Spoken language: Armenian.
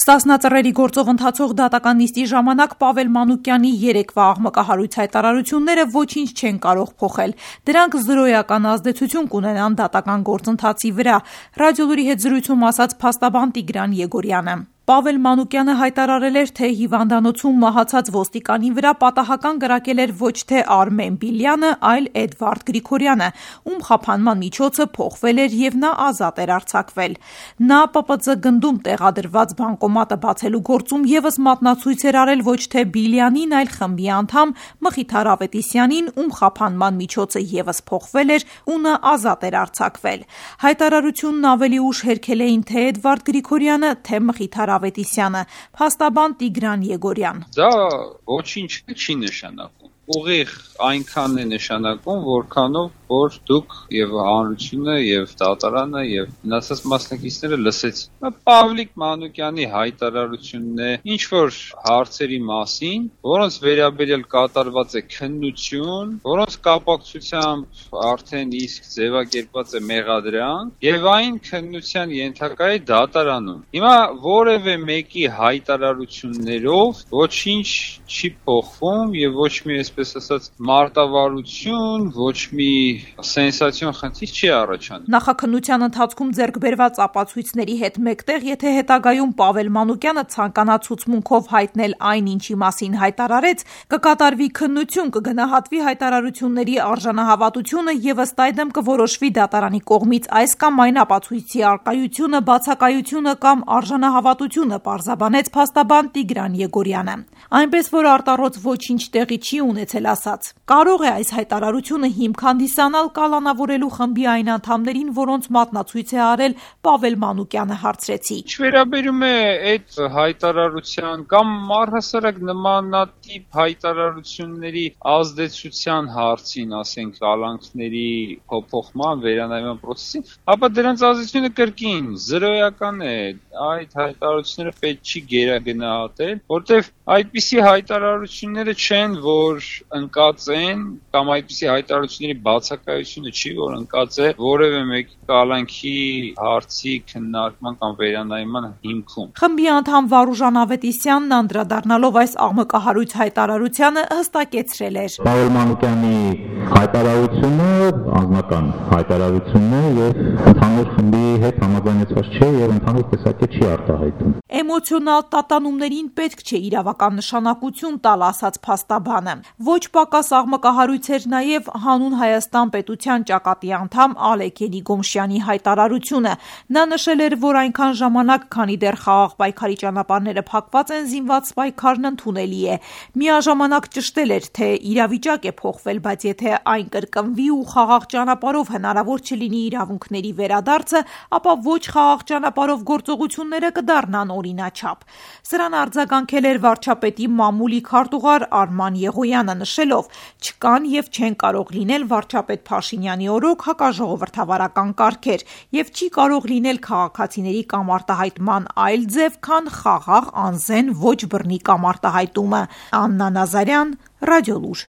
Ստասնածռերի գործով ընթացող դատական նիստի ժամանակ Պավել Մանուկյանի երեկվա աղմկահարույց հայտարարությունները ոչինչ չեն կարող փոխել։ Դրանք զրոյական ազդեցություն կունենան դատական գործընթացի վրա, Ռադիոլուրի հետ զրույցում ասաց փաստաբան Տիգրան Եգորյանը։ Պավել Մանուկյանը հայտարարել էր, թե հիվանդանոցում մահացած ոստիկանի վրա պատահական կրակել էր ոչ թե Արմեն Բիլյանը, այլ Էդվարդ Գրիգորյանը, ում խափանման միջոցը փոխվել էր եւ նա ազատ էր արձակվել։ Նա ՊՊԾ գնդում տեղադրված բանկոմատը բացելու գործում եւս մատնացույց էր արել ոչ թե Բիլյանին, այլ խմբի անդամ Մխիթար Ավետիսյանին, ում խափանման միջոցը եւս փոխվել էր ու նա ազատ էր արձակվել։ Հայտարարությունն ավելի ուշ հերքել էին թե Էդվարդ Գրիգորյանը, թե Մխիթար Ավետիսյանը, փաստաբան Տիգրան Եգորյան։ Դա ոչինչ չի նշանակում։ Ուղիղ այնքան է նշանակում, որքանով որ դուք եւ հանրությունը եւ դատարանը եւ մնացած մասնակիցները լսեցին։ Պավլիկ Մանուկյանի հայտարարությունն է ինչ որ հարցերի մասին, որոնց վերաբերյալ կատարված է քննություն, որոնց կապակցությամբ արդեն իսկ ձևակերպված է մեղադրանք եւ այն քննության ենթակա է դատարանում։ Հիմա որևէ մեկի հայտարարություններով ոչինչ չի փոխվում եւ ոչ մի այսպես ասած մարտավարություն, ոչ մի սենսացիոն խնդիր չի առաջանում։ Նախաքննության ընթացքում ձեռք բերված ապացույցների հետ մեկտեղ, եթե հետագայում Պավել Մանուկյանը ցանկանա ցուցմունքով հայտնել այն, ինչի մասին հայտարարեց, կկատարվի քննություն, կգնահատվի հայտարարությունների արժանահավատությունը եւ ըստ այդմ կորոշվի դատարանի կողմից այս կամ այն ապացույցի առկայությունը, բացակայությունը կամ արժանահավատությունը, պարզաբանեց փաստաբան Տիգրան Եգորյանը։ Այնպես որ արտառոց ոչինչ տեղի չի ունեցել ասած։ Կարող է այս հայտարարությունը հիմք հանդիսանալ կալանավորելու խմբի այն անդամներին, որոնց մատնացույց է արել Պավել Մանուկյանը, հարցրեցի։ Ինչ վերաբերում է այդ հայտարարության կամ առհասարակ նմանատիպ հայտարարությունների ազդեցության հարցին, ասենք կալանքների փոփոխման, վերանայման process-ին, ապա դրանց ազդեցությունը կրկին զրոյական է։ Այդ հայտարարությունները պետք չի գերագնահատել, որտեղ այդպիսի հայտարարությունները չեն, որ ընկածեն կամ այդպիսի հայտարարությունների բացակայությունը չի, որ ընկած է որևէ մեկի կալանքի հարցի քննարկման կամ վերանայման հիմքում։ Խմբի անդամ Վարուժան Ավետիսյանն անդրադառնալով այս աղմկահարույց հայտարարությանը հստակեցրել էր. Պավել Մանուկյանի հայտարարությունը անձնական հայտարարությունն է եւ ընդհանուր խմբի հետ համաձայնեցված չէ եւ ընդհանուր տեսակետ չի արտահայտում։ Էմոցիոնալ տատանումներին պետք չէ իրավական նշանակություն տալ, ասաց փաստաբանը։ Ոչ պակաս աղմկահարույց էր նաև Հանուն Հայաստան պետության ճակատի անդամ Ալեկ Էլիգոմշյանի հայտարարությունը։ Նա նշել էր, որ այնքան ժամանակ, քանի դեռ խաղաղ պայքարի ճանապարհները փակված են, զինված պայքարն ընդունելի է։ Միաժամանակ ճշտել էր, թե իրավիճակ է փոխվել, բայց եթե այն կրկնվի ու խաղաղ ճանապարհով հնարավոր չլինի իրավունքների վերադարձը, ապա ոչ խաղաղ ճանապարհով գործողությունները կդառնան օրինաչափ։ Սրան արձագանքել էր վարչապետի մամուլի քարտուղար Արման Եղոյանը, նշելով. չկան եւ չեն կարող լինել վարչապետ Փաշինյանի օրոք հակաժողովրդավարական կարգեր եւ չի կարող լինել քաղաքացիների կամ արտահայտման այլ ձև, քան խաղաղ, անզեն, ոչ բռնի կամ արտահայտումը։ Աննա Նազարյան, Ռադիոլուր։